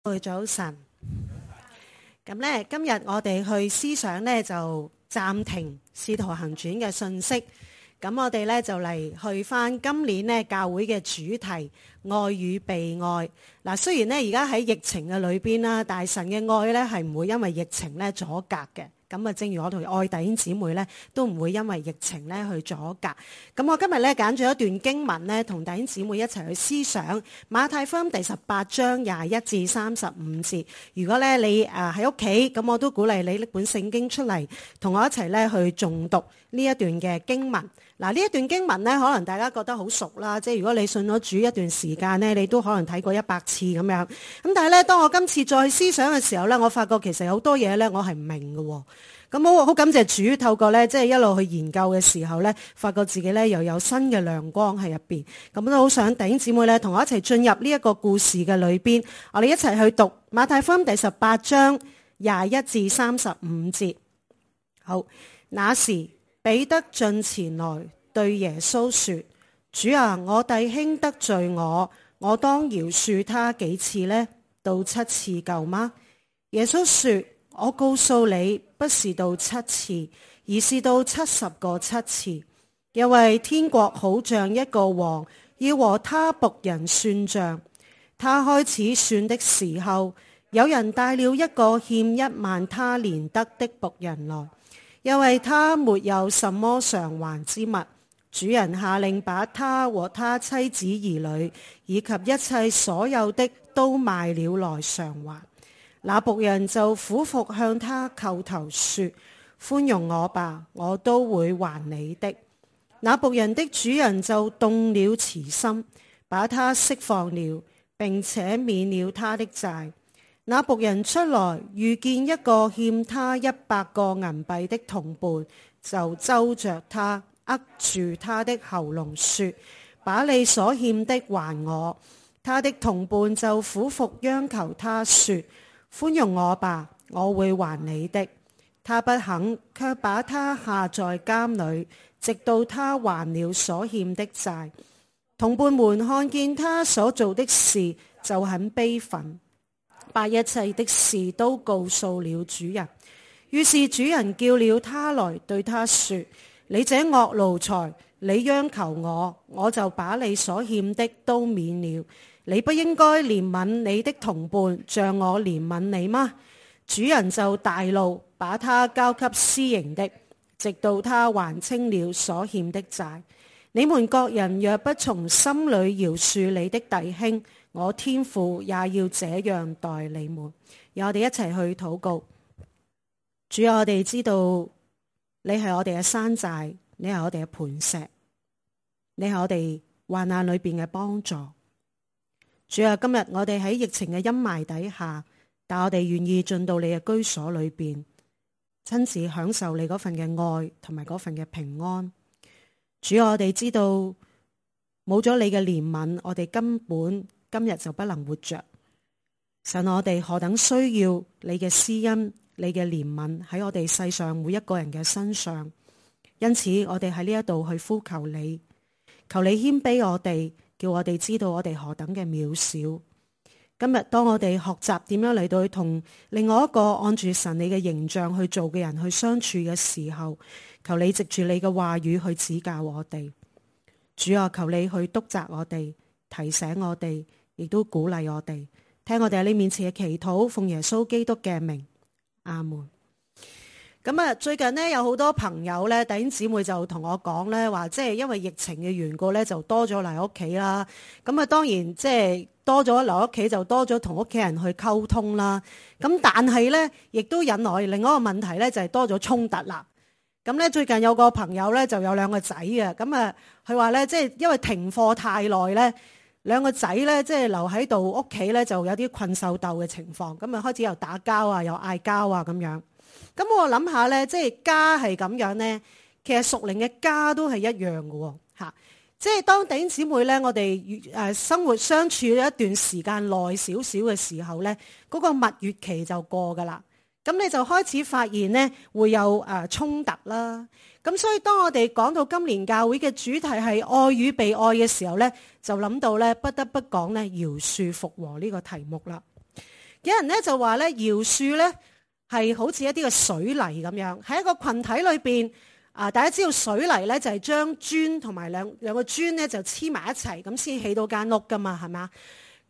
早晨，咁咧今日我哋去思想咧就暫停《使徒行傳》嘅信息，咁我哋咧就嚟去翻今年咧教會嘅主題愛與被愛。嗱，雖然咧而家喺疫情嘅裏邊啦，但係神嘅愛咧係唔會因為疫情咧阻隔嘅。咁啊，正如我同愛弟兄姊妹咧，都唔會因為疫情咧去阻隔。咁我今日咧揀咗一段經文咧，同弟兄姊妹一齊去思想馬太福音第18章21至35節。如果咧你喺屋企，咁我都鼓勵你拎本聖經出嚟，同我一齊咧去誦讀呢一段嘅經文。嗱，呢一段經文咧，可能大家覺得好熟啦，即係如果你信咗主一段時間咧，你都可能睇過100次咁樣。咁但係咧，當我今次再思想嘅時候咧，我發覺其實有好多嘢咧，我係唔明嘅。咁好感謝主，透過咧即係一路去研究嘅時候咧，發覺自己咧又有新嘅亮光喺入邊。咁都好想弟兄姊妹咧，同我一齊進入呢一個故事嘅裏邊，我哋一齊去讀馬太福音第18章21至35節。好，那時彼得進前來對耶穌說：主啊，我弟兄得罪我當饒恕他幾次呢？到7次夠嗎？耶穌說：我告訴你，不是到7次，而是到70個7次。因為天國好像一個王要和他僕人算賬，他開始算的時候，有人帶了一個欠1萬他連得的僕人來，因為他沒有什麼償還之物。主人下令把他和他妻子兒女以及一切所有的都賣了來償還。那僕人就俯伏向他叩頭說：寬容我吧，我都會還你的。那僕人的主人就動了慈心，把他釋放了，並且免了他的債。那僕人出來遇見一個欠他100個銀幣的同伴，就揪着他，扼住他的喉嚨說：把你所欠的還我。他的同伴就俯伏央求他說：寬容我吧，我會還你的。他不肯，卻把他下在監裏，直到他還了所欠的債。同伴們看見他所做的事，就很悲憤，把一切的事都告訴了主人。於是主人叫了他來，對他說：你這惡奴才，你央求我，我就把你所欠的都免了。你不應該憐憫你的同伴，像我憐憫你嗎？主人就大怒，把他交給私刑的，直到他還清了所欠的債。你們各人若不從心裏饒恕你的弟兄，我天父也要這樣待你們。讓我哋一齊去禱告。主啊，我哋知道你係我哋嘅山寨，你係我哋嘅磐石，你係我哋患難裏邊嘅幫助。主啊，今日我哋喺疫情嘅陰霾底下，但我哋願意進到你嘅居所裏邊，親自享受你嗰份嘅愛同埋嗰份嘅平安。主啊，我哋知道冇咗你嘅憐憫，我哋根本今日就不能活着。神，我哋何等需要你嘅施恩，你嘅憐憫喺我哋世上每一個人嘅身上。因此我哋喺呢一度去呼求你，求你謙卑我哋，叫我哋知道我哋何等嘅渺小。今日當我哋學習點樣嚟到去同另外一個按住神你嘅形象去做嘅人去相處嘅時候，求你藉住你嘅話語去指教我哋。主啊，求你去督責我哋，提醒我哋，亦都鼓勵我哋。聽我哋喺你面前嘅祈禱，奉耶穌基督嘅名，阿門。咁啊，最近呢，有好多朋友咧，弟兄姊妹就同我講咧，話即係因為疫情嘅緣故咧，就多咗嚟屋企啦。咁啊，當然即係多咗嚟屋企，就多咗同屋企人去溝通啦。咁但係咧，亦都引來另外一個問題咧，就係多咗衝突啦。咁咧，最近有個朋友咧，就有2個仔啊。咁啊，佢話咧，即係因為停課太耐咧，2個仔咧，即係留喺度屋企咧，就有啲困獸鬥嘅情況。咁啊，開始又打交啊，又嗌交啊，咁樣。咁我諗下咧，即係家係咁樣咧，其實屬靈嘅家都係一樣嘅喎，嚇！即係當弟兄姊妹咧，我哋生活相處一段時間耐少少嘅時候咧，嗰個蜜月期就過㗎啦。咁你就開始發現咧，會有衝突啦。咁所以當我哋講到今年教會嘅主題係愛與被愛嘅時候咧，就諗到咧，不得不講咧，饒恕復和呢個題目啦。有人咧就話咧，饒恕咧係好似一啲嘅水泥咁樣，喺一個群體裏邊大家知道水泥咧就係將磚同埋兩個磚咧就黐埋一齊，咁先起到間屋噶嘛，係嘛？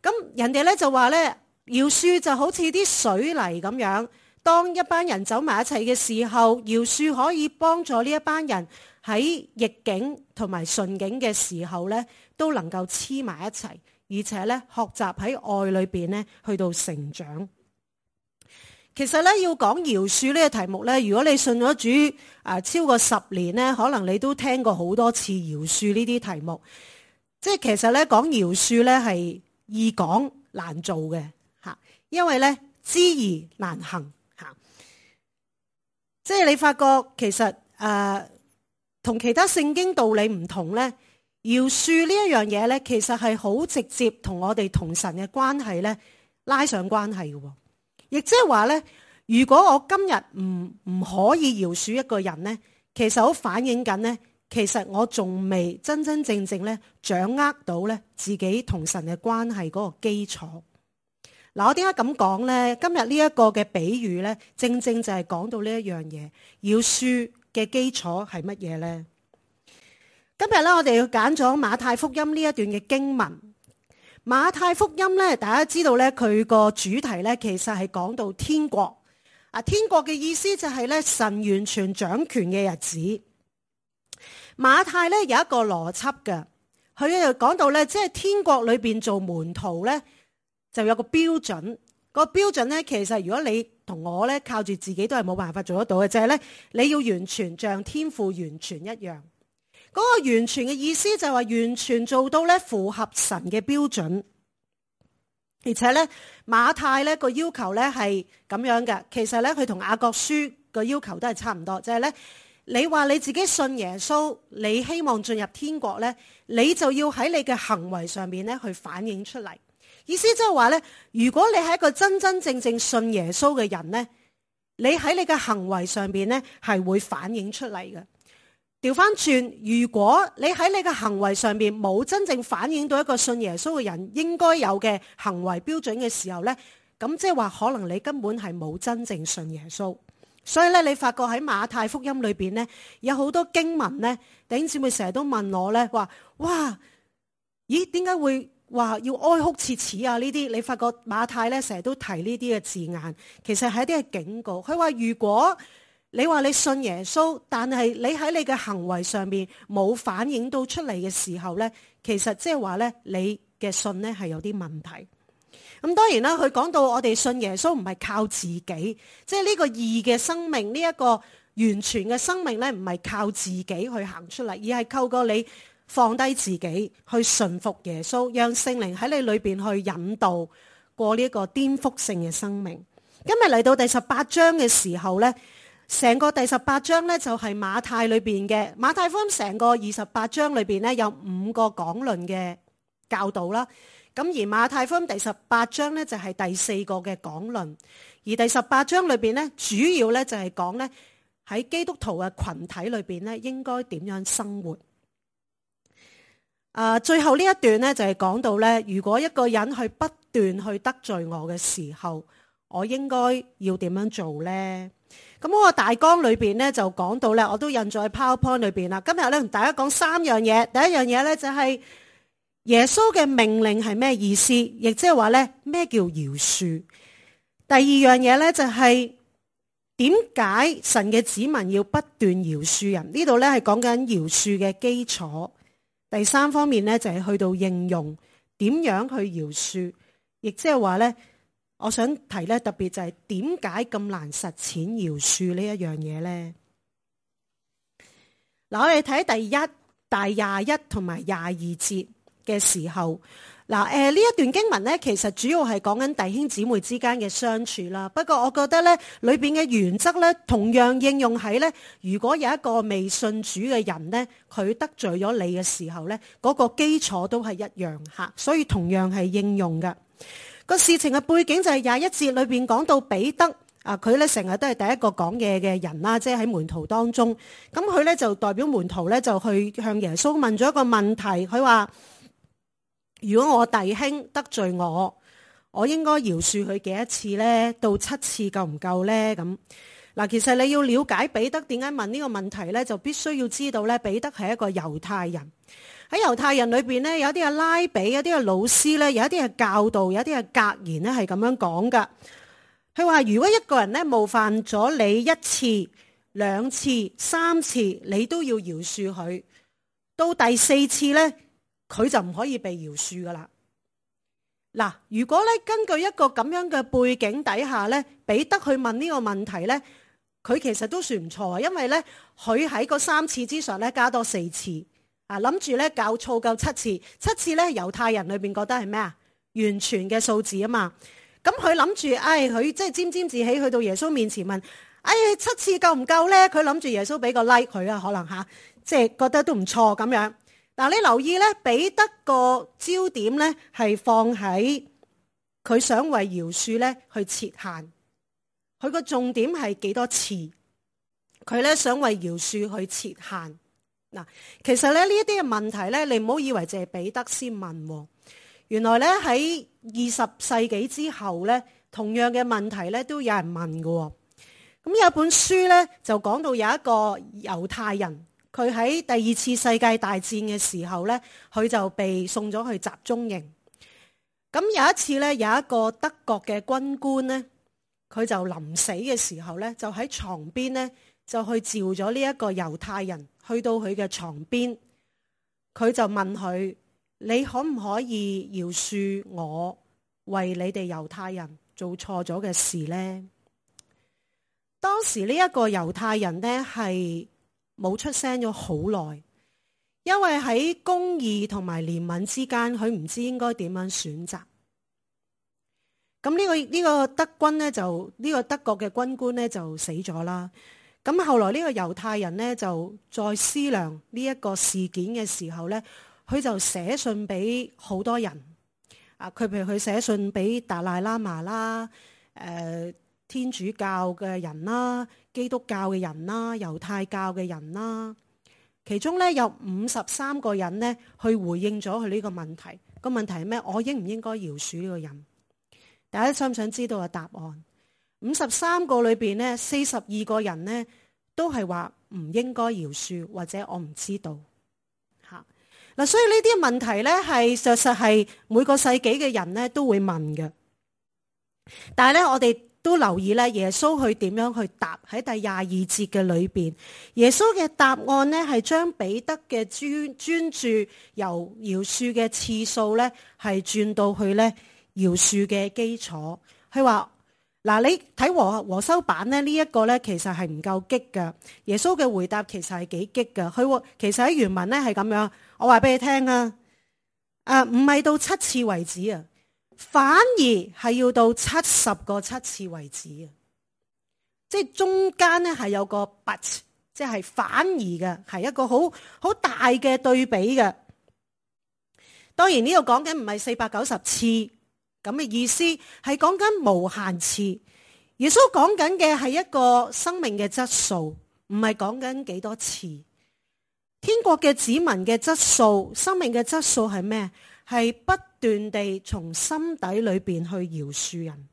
咁人哋咧就話咧，饒恕就好似啲水泥咁樣，當一班人走埋一齊嘅時候，饒恕可以幫助呢一班人喺逆境同埋順境嘅時候咧，都能夠黐埋一齊，而且咧學習喺愛裏邊咧去到成長。其實咧要講饒恕呢個題目咧，如果你信咗主超過10年咧，可能你都聽過好多次饒恕呢啲題目。即係其實咧講饒恕咧係易講難做嘅吓，因為咧知易難行吓。即係你發覺其實同其他聖經道理唔同咧，饒恕呢一樣嘢咧，其實係好直接同我哋同神嘅關係咧拉上關係嘅。亦即係話咧，如果我今日唔可以饒恕一個人咧，其實好反映緊咧，其實我仲未真真正正咧掌握到咧自己同神嘅關係嗰個基礎。嗱，我點解咁講咧？今日呢一個嘅比喻咧，正正就係講到呢一樣嘢，饒恕嘅基礎係乜嘢咧？今日咧，我哋要揀咗馬太福音呢一段嘅經文。馬太福音咧，大家知道咧，佢個主題咧，其實係講到天國。天國嘅意思就係咧，神完全掌權嘅日子。馬太咧有一個邏輯嘅，佢又講到咧，即係天國裏邊做門徒咧，就有個標準。個標準咧，其實如果你同我咧靠住自己都係冇辦法做得到嘅，就係咧，你要完全像天父完全一樣。嗰個完全嘅意思就係話完全做到咧符合神嘅標準，而且咧馬太咧個要求咧係咁樣嘅。其實咧佢同雅各書個要求都係差唔多，就係咧你話你自己信耶穌，你希望進入天國咧，你就要喺你嘅行為上面咧去反映出嚟。意思即係話咧，如果你係一個真真正正信耶穌嘅人咧，你喺你嘅行為上面咧係會反映出嚟嘅。調翻轉，如果你喺你嘅行為上面冇真正反映到一個信耶穌嘅人應該有嘅行為標準嘅時候呢，咁即係話可能你根本係冇真正信耶穌。所以咧，你發覺喺馬太福音裏邊呢，有好多經文呢，弟兄姊妹成日都問我呢，話哇，咦，點解會話要哀哭切齒啊？呢啲你發覺馬太呢成日都提呢啲嘅字眼，其實係一啲嘅警告。佢話如果你話你信耶穌，但係你喺你嘅行為上面冇反映到出嚟嘅時候呢，其實即係話呢，你嘅信呢係有啲問題。咁當然啦，佢講到我哋信耶穌唔係靠自己，即係呢個義嘅生命，呢一個完全嘅生命呢，唔係靠自己去行出嚟，而係透過你放低自己去順服耶穌，讓聖靈喺你裏邊去引導過呢一個顛覆性嘅生命。今日嚟到第18章嘅時候呢，成個第18章咧就係馬太裏邊嘅馬太福音成個28章裏邊咧有5個講論嘅教導啦。咁而馬太福音第18章咧就係第4個嘅講論，而第18章裏邊咧主要咧就係講咧喺基督徒嘅群體裏邊咧應該點樣生活。最後呢一段咧就係講到咧，如果一個人去不斷去得罪我嘅時候，我應該要點樣做咧？咁我個大綱裏邊咧就講到咧，我都印咗喺 PowerPoint 裏邊啦。今日咧同大家講3樣嘢。第一樣嘢咧就係耶穌嘅命令係咩意思，亦即係話咧咩叫饒恕。第二樣嘢咧就係點解神嘅子民要不斷饒恕人？呢度咧係講緊饒恕嘅基礎。第三方面咧就係去到應用點樣去饒恕，亦即係話咧。我想提咧，特別就係點解咁難實踐饒恕呢一樣嘢咧？嗱，我哋睇第21同埋22節嘅時候，呢一段經文咧，其實主要係講緊弟兄姊妹之間嘅相處啦。不過我覺得咧，裏邊嘅原則咧，同樣應用喺咧，如果有一個未信主嘅人咧，佢得罪咗你嘅時候咧，嗰個基礎都係一樣吓，所以同樣係應用㗎。個事情嘅背景就係21節裏邊講到彼得佢咧成日都係第一個講嘢嘅人啦，即係喺門徒當中。咁佢咧就代表門徒咧就去向耶穌問咗一個問題，佢話：如果我弟兄得罪我我應該饒恕佢幾多次呢？到7次夠唔夠呢？咁嗱，其實你要了解彼得點解問呢個問題呢，就必須要知道呢，彼得係一個猶太人。喺猶太人裏邊呢，有啲係拉比，有啲係老師呢，有一啲係教導，有一啲係格言呢，係咁樣講噶。佢話如果一個人呢冒犯咗你1次、2次、3次，你都要饒恕佢。到第4次呢，佢就唔可以被饒恕噶啦。嗱，如果咧根據一個咁樣嘅背景底下咧，彼得去問呢個問題咧，佢其實都算唔錯啊，因為咧佢喺個3次之上咧加多4次啊，諗住咧夠7次，7次咧猶太人裏邊覺得係咩啊？完全嘅數字啊嘛，咁佢諗住，佢即係沾沾自喜去到耶穌面前問，7次夠唔夠咧？佢諗住耶穌俾個 like 佢啊，可能吓，即係覺得都唔錯咁樣。嗱，你留意咧，彼得個焦點咧係放喺佢想為饒恕咧去設限，佢個重點係幾多次？佢咧想為饒恕去設限。嗱，其實咧呢一啲嘅問題咧，你唔好以為淨係彼得先問，原來咧喺20世紀之後咧，同樣嘅問題咧都有人問㗎。咁有本書咧就講到有一個猶太人。佢喺第2次世界大戰嘅時候咧，佢就被送咗去集中營。咁有一次咧，有一個德國嘅軍官咧，佢就臨死嘅時候咧，就喺床邊咧，就去召咗呢一個猶太人去到佢嘅床邊，佢就問佢：你可唔可以饒恕我為你哋猶太人做錯咗嘅事呢？當時呢一個猶太人咧係冇出聲咗好耐，因為喺公義同埋憐憫之間，佢唔知應該點樣選擇。咁呢個德軍咧就呢個德國嘅軍官咧就死咗啦。咁後來呢個猶太人咧就再思量呢一個事件嘅時候咧，佢就寫信俾好多人啊。佢譬如佢寫信俾達賴喇嘛啦，天主教嘅人啦，基督教嘅人啦，猶太教嘅人啦，其中咧有53個人咧去回應咗佢呢個問題。個問題係咩？我應唔應該饒恕呢個人？大家想唔想知道個答案？53個裏邊咧，42個人咧都係話唔應該饒恕，或者我唔知道吓。嗱，所以呢啲問題咧係實係每個世紀嘅人咧都會問嘅。但係咧，我哋都留意咧，耶穌去點樣去答。喺第22節嘅裏邊，耶穌嘅答案呢係將彼得嘅專注由饒恕嘅次數咧係轉到去咧饒恕嘅基礎。佢話嗱，你睇和修版咧呢一個咧其實係唔夠激噶。耶穌嘅回答其實係幾激噶。佢其實喺原文咧係咁樣，我話俾你聽啊，唔係到7次為止啊。反而係要到70個7次為止啊！即係中間咧係有個 but， 即係反而嘅，係一個好大嘅對比嘅。當然呢度講緊唔係490次咁嘅意思，係講緊無限次。耶穌講緊嘅係一個生命嘅質素，唔係講緊幾多次。天國嘅子民嘅質素，生命嘅質素係咩？係不斷地從心底裏邊去饒恕人，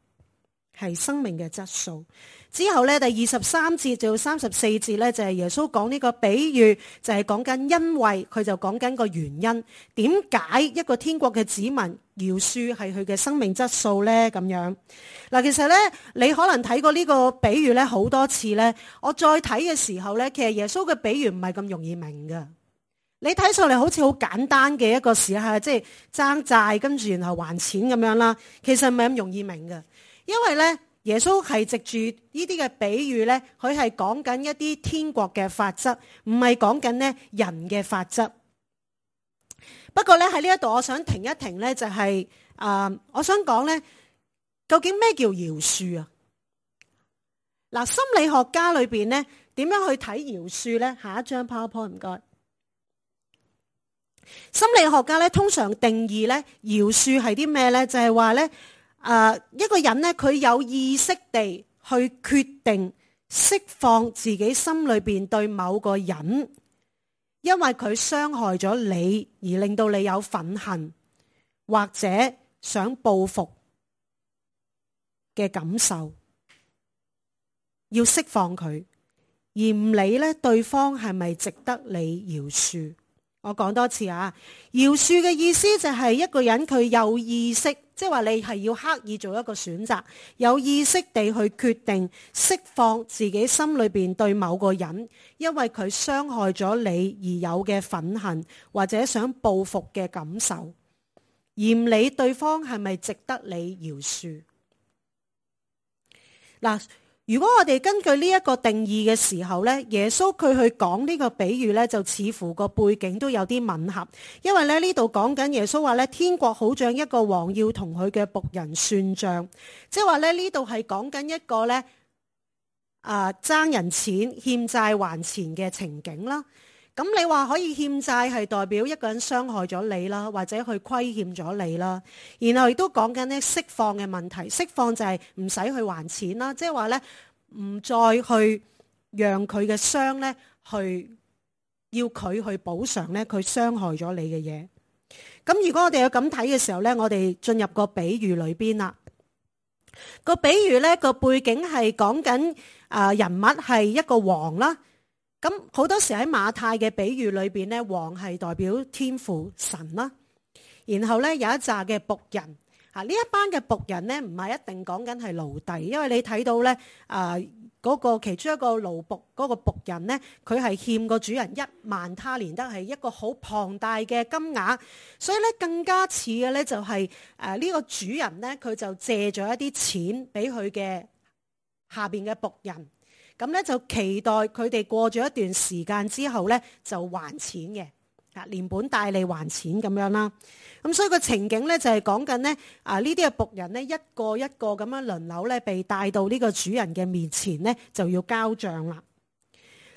係生命嘅質素。之後咧，第23節到34節咧，就係耶穌講呢個比喻，就係講緊因為，佢就講緊個原因，點解一個天國嘅子民饒恕係佢嘅生命質素咧？咁樣嗱，其實咧，你可能睇過呢個比喻咧好多次咧，我再睇嘅時候咧，其實耶穌嘅比喻唔係咁容易明㗎。你睇上嚟好似好簡單嘅一個事係，即係爭債跟住然後還錢咁樣啦。其實唔係咁容易明嘅，因為咧耶穌係藉住呢啲嘅比喻咧，佢係講緊一啲天國嘅法則，唔係講緊咧人嘅法則。不過咧喺呢一度，我想停一停咧，就係我想講咧，究竟咩叫饒恕啊？嗱，心理學家裏邊咧點樣去睇饒恕咧？下一張 PowerPoint 唔該。心理學家咧通常定義咧饒恕係啲咩咧？就係話咧，一個人咧佢有意識地去決定釋放自己心裏邊對某個人，因為佢傷害咗你而令到你有憤恨或者想報復嘅感受，要釋放佢，而唔理咧對方係咪值得你饒恕。我講多次啊，饒恕嘅意思就係一個人佢有意識，即係話你係要刻意做一個選擇，有意識地去決定釋放自己心裏邊對某個人，因為佢傷害咗你而有嘅憤恨或者想報復嘅感受，而唔理對方係咪值得你饒恕。嗱，如果我哋根據呢一個定義嘅時候咧，耶穌佢去講呢個比喻咧，就似乎個背景都有啲吻合，因為咧呢度講緊耶穌話咧，天國好像一個王要同佢嘅僕人算賬，即係話咧呢度係講緊一個咧爭人錢欠債還錢嘅情景啦。咁你話可以欠債係代表一個人傷害咗你啦，或者去虧欠咗你啦，然後亦都講緊咧釋放嘅問題，釋放就係唔使去還錢啦，即係話咧唔再去讓佢嘅傷咧去要佢去補償咧佢傷害咗你嘅嘢。咁如果我哋有咁睇嘅時候咧，我哋進入個比喻裏邊啦。個比喻咧個背景係講緊人物係一個王啦。咁好多時喺馬太嘅比喻裏邊咧，王係代表天父神啦。然後咧有一紮嘅僕人，呢一班嘅僕人咧唔係一定講緊係奴隸，因為你睇到咧嗰個其中一個奴僕嗰個僕人咧，佢係欠個主人1萬他連得，係一個好龐大嘅金額，所以咧更加似嘅咧就係呢個主人咧佢就借咗一啲錢俾佢嘅下邊嘅僕人。咁咧就期待佢哋過咗一段時間之後咧就還錢嘅，連本帶利還錢咁樣啦。咁所以個情景咧就係講緊咧呢啲嘅僕人咧一個一個咁樣輪流咧被帶到呢個主人嘅面前咧就要交賬啦。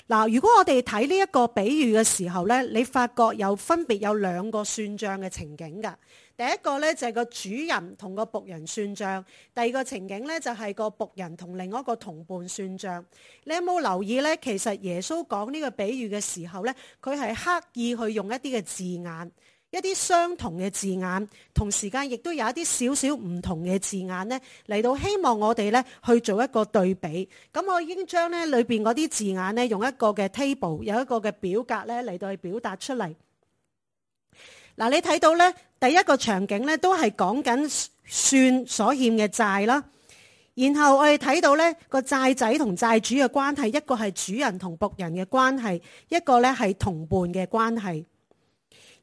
嗱，如果我哋睇呢一個比喻嘅時候咧，你發覺分別有2個算賬嘅情景㗎。第一個咧就係個主人同個僕人算賬，第二個情景咧就係個僕人同另一個同伴算賬。你有冇留意咧？其實耶穌講呢個比喻嘅時候咧，佢係刻意去用一啲嘅字眼，一啲相同嘅字眼，同時間亦都有一啲少少唔同嘅字眼咧，嚟到希望我哋咧去做一個對比。咁我已經將咧裏邊嗰啲字眼咧用一個嘅 table， 有一個嘅表格咧嚟到去表達出嚟。嗱，你睇到咧第一個場景咧都係講緊算所欠嘅債啦，然後我哋睇到咧個債仔同債主嘅關係，一個係主人同僕人嘅關係，一個咧係同伴嘅關係。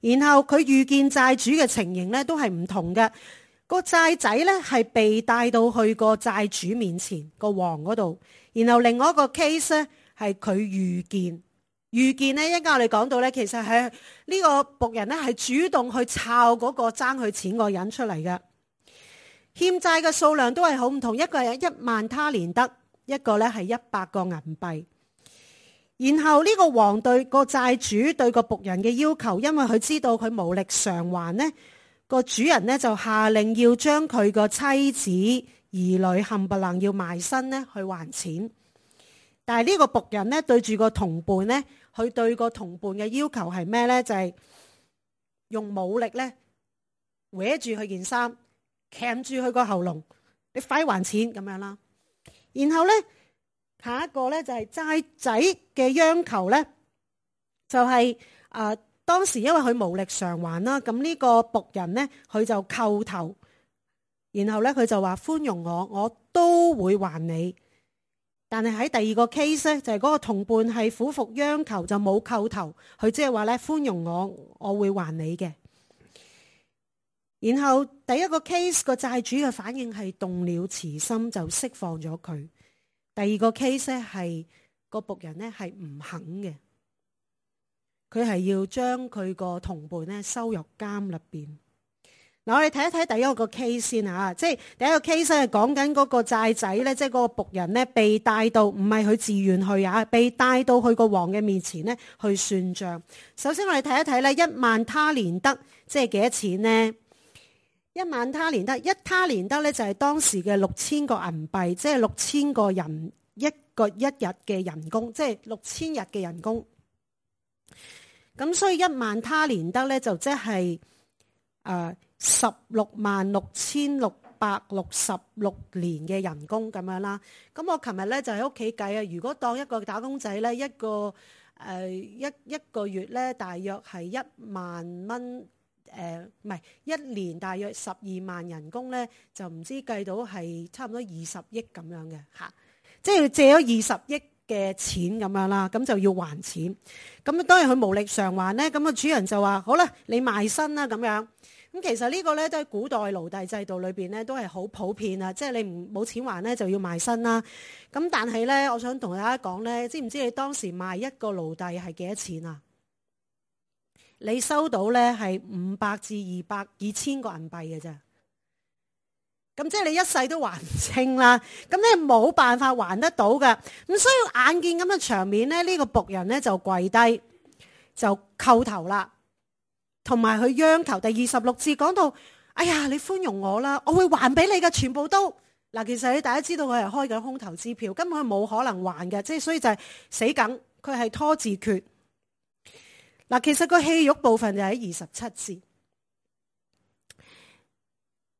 然後佢遇見債主嘅情形咧都係唔同嘅，個債仔咧係被帶到去個債主面前個王嗰度，然後另外一個 case 咧係佢遇見咧，一陣間我哋講到咧，其實係呢個僕人咧係主動去抄嗰個爭佢錢個人出嚟嘅。欠債嘅數量都係好唔同，一個係1萬他連得，一個咧係100個銀幣。然後呢個王對個債主對個僕人嘅要求，因為佢知道佢無力償還呢，個主人呢就下令要將佢個妻子兒女冚唪唥要賣身呢去還錢。但係呢個僕人呢對住個同伴呢，佢對個同伴嘅要求係咩呢？就係用武力呢搲住佢件衫，鉗住佢個喉嚨，你快還錢咁樣啦。然後呢，下一個呢就係債仔嘅央求呢，就係當時因為佢無力償還啦，咁呢個僕人呢，佢就叩頭，然後呢，佢就話寬容我都會還你。但係喺第二個 case 咧，就係嗰個同伴係苦服央求，就冇叩頭，佢即係話咧寬容我會還你嘅。然後第一個 case 個債主嘅反應係動了慈心，就釋放咗佢。第二個 case 咧係個僕人咧係唔肯嘅，佢係要將佢個同伴咧收入監入邊。嗱，我哋睇一睇第一個 case 先嚇，即係第一個 case 係講緊嗰個債仔咧，即係嗰個僕人咧被帶到，唔係佢自願去啊，被帶到去個王嘅面前咧去算賬。首先我哋睇一睇咧，1萬他連得即係幾多錢呢？1萬他連得，一他連得咧就係當時嘅6000個銀幣，即係6000個人一日嘅人工，即係6000日嘅人工。咁所以1萬他連得咧就即係166600 366年嘅人工咁樣啦。咁我琴日咧就喺屋企計啊，如果當一個打工仔咧，一個月咧大約係10000蚊，唔係一年大約12萬人工咧，就唔知計到係差唔多20億咁樣嘅嚇，即係借咗20億嘅錢咁樣啦，咁就要還錢。咁當然佢無力償還咧，咁個主人就話：好啦，你賣身啦咁樣。咁其實呢個咧都係古代奴隸制度裏邊咧都係好普遍啊，即係你冇錢還咧就要賣身啦。咁但係咧，我想同大家講咧，知唔知你當時賣一個奴隸係幾多錢啊？你收到咧係500至2000個銀幣嘅啫。咁即係你一世都還唔清啦。咁你冇辦法還得到嘅。咁所以眼見咁嘅場面咧，呢個僕人咧就跪低就叩頭啦。同埋佢央求，第26節講到：哎呀，你寬容我啦，我會還俾你嘅，全部都嗱。其實你大家知道佢係開緊空頭支票，根本佢冇可能還嘅，即係所以就係死梗，佢係拖字訣嗱。其實個戲肉部分就喺27節，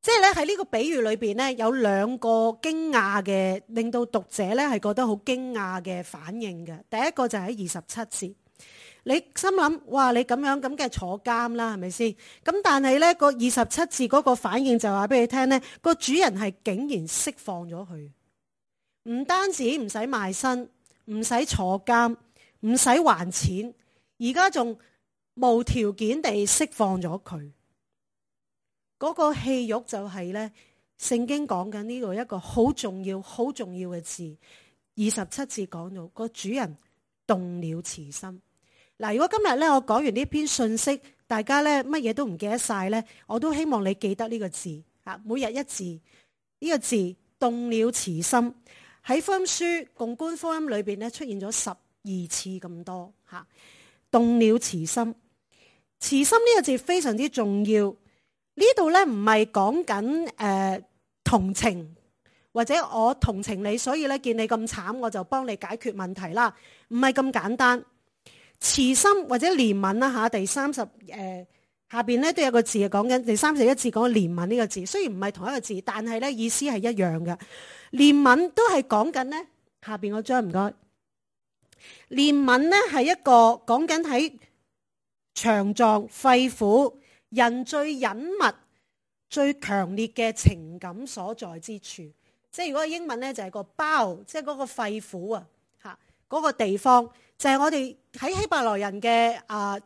即係咧喺呢個比喻裏邊咧有2個驚訝嘅，令到讀者咧係覺得好驚訝嘅反應嘅。第一個就喺27節。你心諗，哇！你咁樣咁嘅坐監啦，係咪先？咁但係咧個27字嗰個反應就話俾你聽咧，個主人係竟然釋放咗佢，唔單止唔使賣身，唔使坐監，唔使還錢，而家仲無條件地釋放咗佢。嗰個戲肉就係咧，聖經講緊呢度一個好重要、好重要嘅字。27字講到個主人動了慈心。嗱，如果今日咧我講完呢篇信息，大家咧乜嘢都唔記得晒咧，我都希望你記得呢個字嚇，每日一字。呢個字動了慈心喺福音書共觀福音裏邊咧出現咗12次咁多嚇。動了慈心，慈心呢個字非常之重要。呢度咧唔係講緊同情，或者我同情你，所以咧見你咁慘，我就幫你解決問題啦，唔係咁簡單。慈心或者憐憫啦嚇，第30下邊咧都有個字係講緊，第31字講憐憫呢個字，雖然唔係同一個字，但係咧意思係一樣嘅。憐憫都係講緊咧下邊嗰張唔該。憐憫咧係一個講緊喺腸臟、肺腑、人最隱密、最強烈嘅情感所在之處。即係如果英文咧就係個包，即係嗰個肺腑啊嚇，嗰個地方。就係我哋喺希伯來人嘅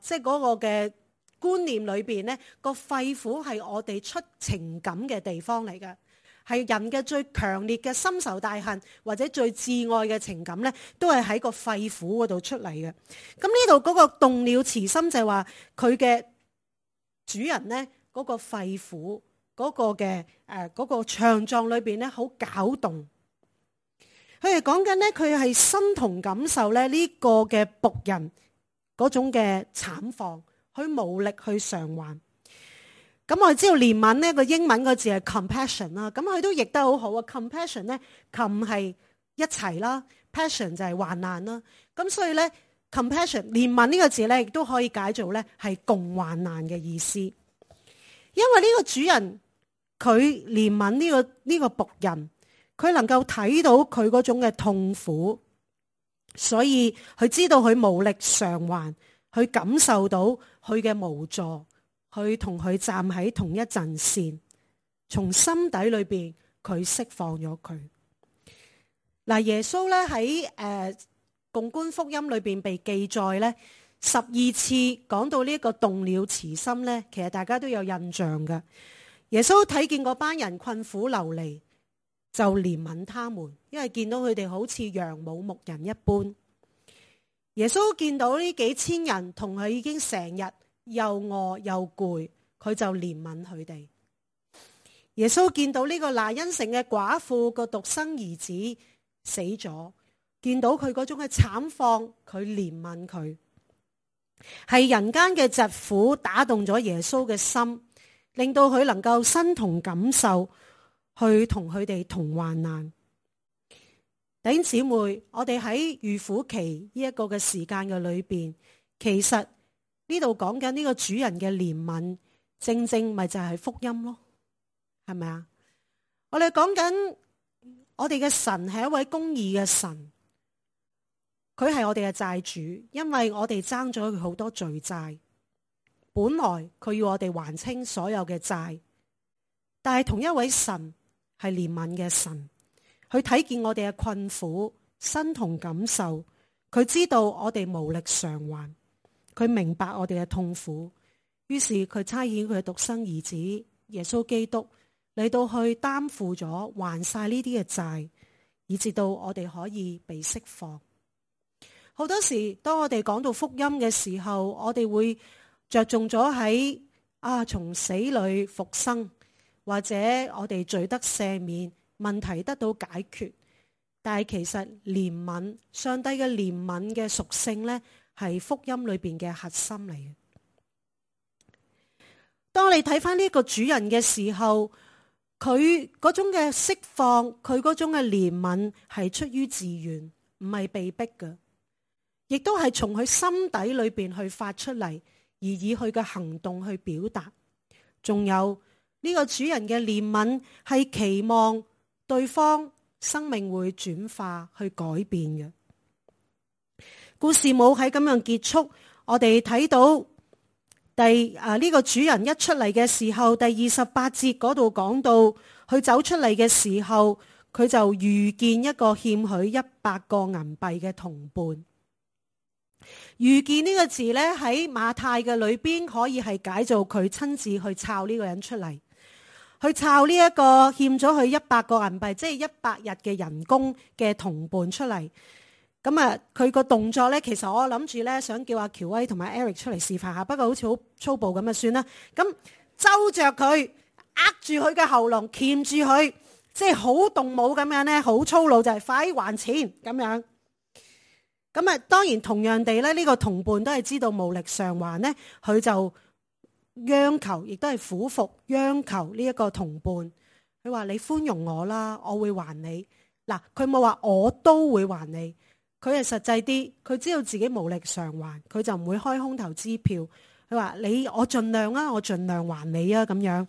即係嗰個嘅觀念裏邊咧，個肺腑係我哋出情感嘅地方嚟嘅，係人嘅最強烈嘅深仇大恨或者最摯愛嘅情感咧，都係喺個肺腑嗰度出嚟嘅。咁呢度嗰個動了慈心就係話佢嘅主人咧，嗰個肺腑嗰個嘅嗰個腸臟裏邊咧，好攪動。佢哋講緊咧，佢係身同感受咧呢個嘅僕人嗰種嘅慘況，佢無力去償還。咁我哋知道憐憫呢個英文個字係 compassion 啦，咁佢都譯得好好啊。compassion 咧，com 係一齊啦 ，passion 就係患難啦。咁所以咧 compassion 憐憫呢個字咧，亦都可以解做咧係共患難嘅意思。因為呢個主人佢憐憫呢個僕人。佢能夠睇到佢嗰種嘅痛苦，所以佢知道佢無力償還，佢感受到佢嘅無助，佢同佢站喺同一陣線，從心底裏邊佢釋放咗佢。嗱，耶穌咧喺共觀福音裏邊被記載咧12次講到呢一個動了慈心咧，其實大家都有印象嘅。耶穌睇見嗰班人困苦流離，就憐憫他們，因為見到佢哋好似羊冇牧人一般。耶穌見到呢幾千人同佢已經成日又餓又攰，佢就憐憫佢哋。耶穌見到呢個拿因城嘅寡婦個獨生兒子死咗，見到佢嗰種嘅慘況，佢憐憫佢。係人間嘅疾苦打動咗耶穌嘅心，令到佢能夠身同感受，去同佢哋同患難。弟兄姊妹，我哋喺預苦期呢一個嘅時間嘅裏邊，其實呢度講緊呢個主人嘅憐憫，正正咪就係福音咯，係咪啊？我哋講緊我哋嘅神係一位公義嘅神，佢係我哋嘅債主，因為我哋爭咗佢好多罪債。本來佢要我哋還清所有嘅債，但係同一位神係憐憫嘅神，佢睇見我哋嘅困苦，身同感受，佢知道我哋無力償還，佢明白我哋嘅痛苦，於是佢差遣佢嘅獨生兒子耶穌基督嚟到去擔負咗還晒呢啲嘅債，以至到我哋可以被釋放。好多時當我哋講到福音嘅時候，我哋會着重咗喺從死裏復生，或者我哋罪得赦免，問題得到解決。但係其實憐憫，上帝嘅憐憫嘅屬性呢，係福音裏邊嘅核心嚟嘅。當你睇翻呢個主人嘅時候，佢嗰種嘅釋放，佢嗰種嘅憐憫係出於自願，唔係被逼嘅，亦都係從佢心底裏邊去發出嚟，而以佢嘅行動去表達。仲有呢個主人嘅憐憫係期望對方生命會轉化去改變嘅。故事冇喺咁樣結束，我哋睇到呢個主人一出嚟嘅時候，第28節嗰度講到，佢走出嚟嘅時候，佢就遇見一個欠佢100個銀幣嘅同伴。遇見呢個字呢，喺馬太嘅裏邊可以係解做佢親自去抄呢個人出嚟，去抄呢一個欠咗佢100個銀幣，即係100日嘅人工嘅同伴出嚟。咁佢個動作呢，其實我諗住呢，想叫阿喬威同埋 Eric 出嚟示範下，不過好似好粗暴咁算啦。咁揪着佢，握住佢嘅喉嚨，鉗住佢，即係好動武咁樣呢，好粗魯，就係快還錢咁樣。咁當然同樣地咧，呢個同伴都係知道無力償還呢，佢就央求，亦都係俯伏央求呢一個同伴。佢話：你寬容我啦，我會還你。嗱，佢冇話我都會還你，佢係實際啲，佢知道自己無力償還，佢就唔會開空頭支票。佢話：我盡量啊，我盡量還你啊，咁樣。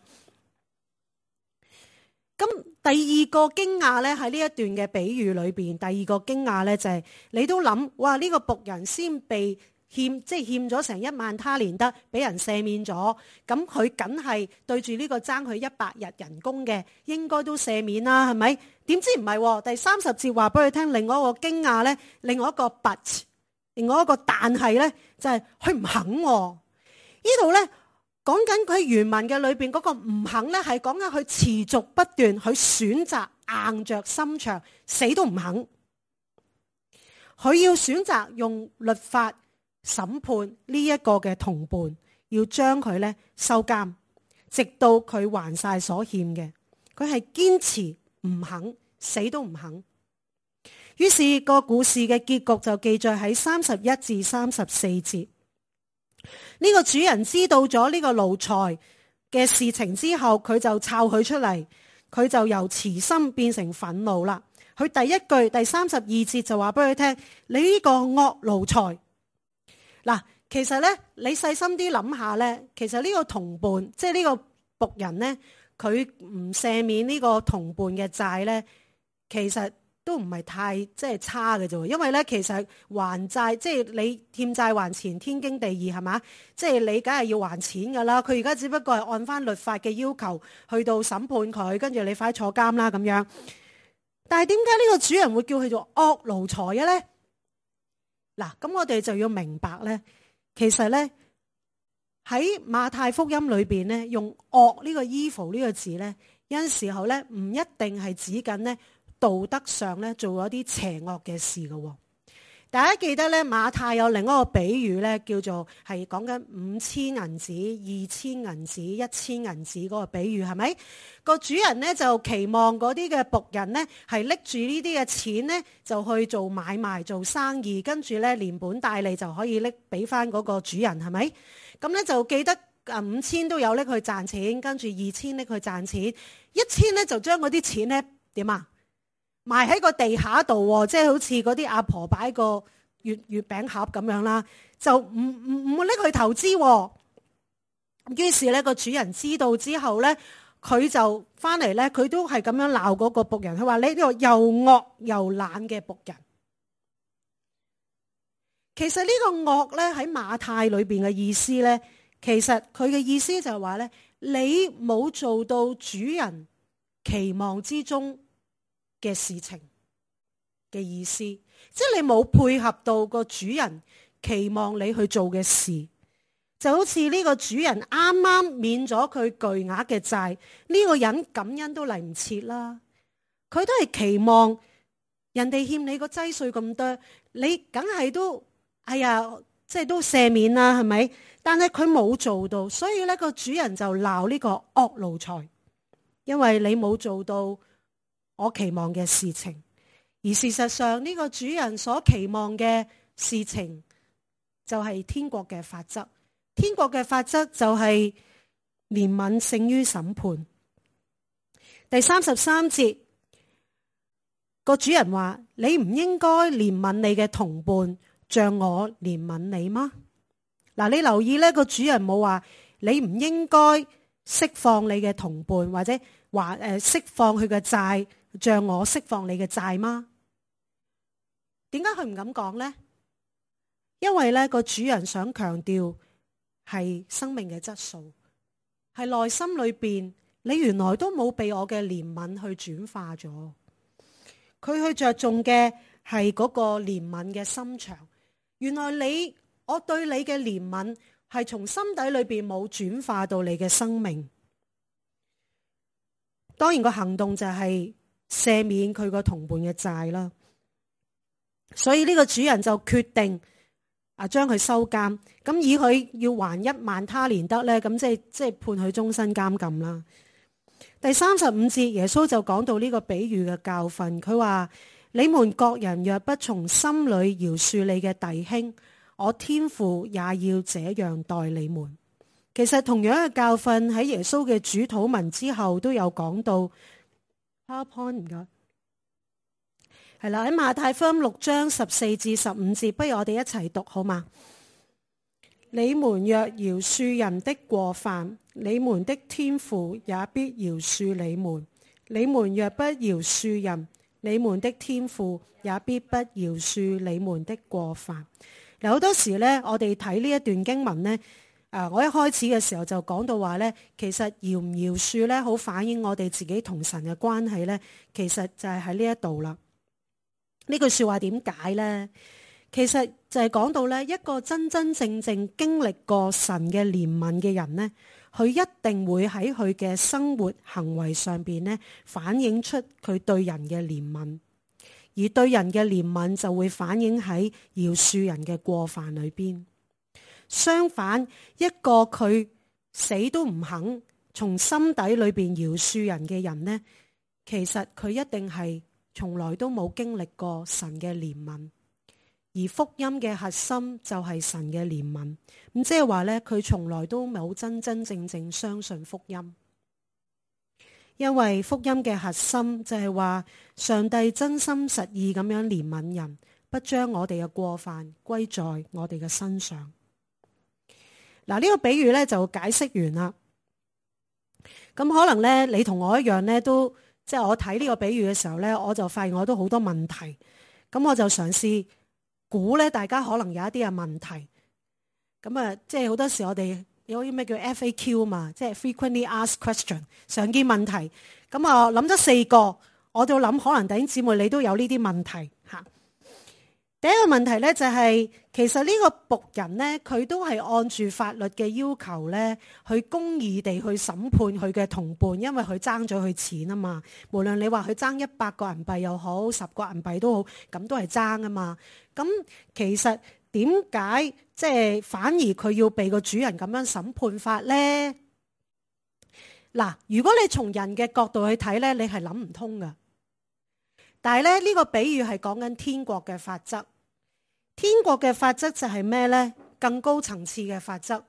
咁第二個驚訝咧，喺呢一段嘅比喻裏邊，第二個驚訝咧就係你都諗，哇！呢個僕人先被欠，即係欠咗成1萬他連得，俾人赦免咗，咁佢梗係對住呢個爭佢100日人工嘅，應該都赦免啦，係咪？點知唔係？第30節話俾佢聽，另外一個驚訝咧，另外一個 but， 另外一個但係咧，就係佢唔肯。呢度咧。講緊佢原文嘅裏邊嗰個唔肯咧，係講緊佢持續不斷，佢選擇硬着心腸，死都唔肯。佢要選擇用律法審判呢一個嘅同伴，要將佢咧收監，直到佢還晒所欠嘅。佢係堅持唔肯，死都唔肯。於是個故事嘅結局就記載喺31至34節。呢個主人知道咗呢個奴才嘅事情之後，佢就抄佢出嚟，佢就由慈心變成憤怒啦。佢第一句第32節就話俾佢聽：你呢個惡奴才。嗱，其實咧，你細心啲諗下咧，其實呢個同伴，即係呢個僕人咧，佢唔赦免呢個同伴嘅債咧，其實都唔係太即係差嘅啫，因為咧其實還債即係你欠債還錢天經地義係嘛，即係你梗係要還錢噶啦。佢而家只不過係按翻律法嘅要求去到審判佢，跟住你快坐監啦咁樣。但係點解呢個主人會叫佢做惡奴才嘅咧？嗱，咁我哋就要明白咧，其實咧喺馬太福音裏邊咧，用惡呢個 evil 呢個字咧，有陣時候咧唔一定係指緊咧。道德上咧做咗啲邪惡嘅事嘅。大家記得咧，馬太有另一個比喻咧，叫做係講緊5000銀子、2000銀子、1000銀子嗰個比喻，係咪？個主人咧就期望嗰啲嘅僕人咧係拎住呢啲嘅錢咧就去做買賣做生意，跟住咧連本帶利就可以拎俾翻嗰個主人，係咪？咁咧就記得5000都有拎去賺錢，跟住2000拎去賺錢，1000咧就將嗰啲錢咧點啊？埋喺個地下度，即係好似嗰啲阿婆擺個月餅盒咁樣啦，就唔會拎去投資。於是咧個主人知道之後咧，佢就翻嚟咧，佢都係咁樣鬧嗰個僕人，佢話你呢個又惡又懶嘅僕人。其實呢個惡咧喺馬太裏邊嘅意思咧，其實佢嘅意思就係話咧，你冇做到主人期望之中嘅事情嘅意思，即係你冇配合到個主人期望你去做嘅事，就好似呢個主人啱啱免咗佢巨額嘅債，呢個人感恩都嚟唔切啦，佢都係期望人哋欠你個劑稅咁多，你梗係都哎呀，即係都赦免啦，係咪？但係佢冇做到，所以呢個主人就鬧呢個惡奴才，因為你冇做到我期望嘅事情。而事實上呢個主人所期望嘅事情就係天國嘅法則。天國嘅法則就係憐憫勝於審判。第33節，個主人話：你唔應該憐憫你嘅同伴，像我憐憫你嗎？嗱，你留意呢個主人冇話你唔應該釋放你嘅同伴，或者話釋放佢嘅債，像我釋放你嘅債嗎？點解佢唔敢講呢？因為呢個主人想強調係生命嘅質素，係內心裏邊你原來都冇被我嘅憐憫去轉化咗。佢去着重嘅係嗰個憐憫嘅心腸。原來我對你嘅憐憫係從心底裏邊冇轉化到你嘅生命。當然個行動就係赦免佢個同伴嘅債啦。所以呢個主人就決定將佢收監，咁以佢要還1萬他連得咧，咁即係判佢終身監禁啦。第35節，耶穌就講到呢個比喻嘅教訓，佢話：你們各人若不從心裏饒恕你嘅弟兄，我天父也要這樣待你們。其實同樣嘅教訓喺耶穌嘅主禱文之後都有講到。PowerPoint 唔該，係啦，喺馬太福音6章14至15節，不如我哋一齊讀好嗎？你們若饒恕人的過犯，你們的天父也必饒恕你們；你們若不饒恕人，你們的天父也必不饒恕你們的過犯。嗱，好多時呢，我哋睇呢一段經文呢，我一開始嘅時候就講到話呢，其實饒唔饒恕呢，好反映我哋自己同神嘅關係呢，其實就係喺呢一度啦。呢句說話點解呢？其實就係講到呢，一個真真正正經歷過神嘅憐憫嘅人呢，佢一定會喺佢嘅生活行為上邊呢，反映出佢對人嘅憐憫，而對人嘅憐憫就會反映喺饒恕人嘅過犯裏邊。相反，一個佢死都唔肯從心底裏邊饒恕人嘅人呢，其實佢一定係從來都冇經歷過神嘅憐憫。而福音嘅核心就係神嘅憐憫，咁即係話呢，佢從來都冇真真正正相信福音，因為福音嘅核心就係話上帝真心實意咁樣憐憫人，不將我哋嘅過犯歸在我哋嘅身上。嗱，呢個比喻呢就解釋完啦。咁可能呢，你同我一樣呢，都即係我睇呢個比喻嘅時候呢，我就發現我都好多問題，咁我就嘗試估咧，大家可能有一啲嘅問題，咁啊，即係好多時我哋有啲咩叫 FAQ 嘛，即係 frequently asked question 常見問題。咁啊，諗咗4個，我就諗可能弟兄姊妹你都有呢啲問題吓。第一個問題咧就係，其實呢個僕人咧，佢都係按住法律嘅要求咧，去公義地去審判佢嘅同伴，因為佢爭咗佢錢啊嘛。無論你話佢爭100個銀幣又好，10個銀幣都好，咁都係爭啊嘛。咁其實點解即係反而佢要被個主人咁樣審判法咧？嗱，如果你從人嘅角度去睇咧，你係諗唔通噶。但係咧，呢個比喻係講緊天國嘅法則。天國嘅法則就係咩呢？更高層次嘅法則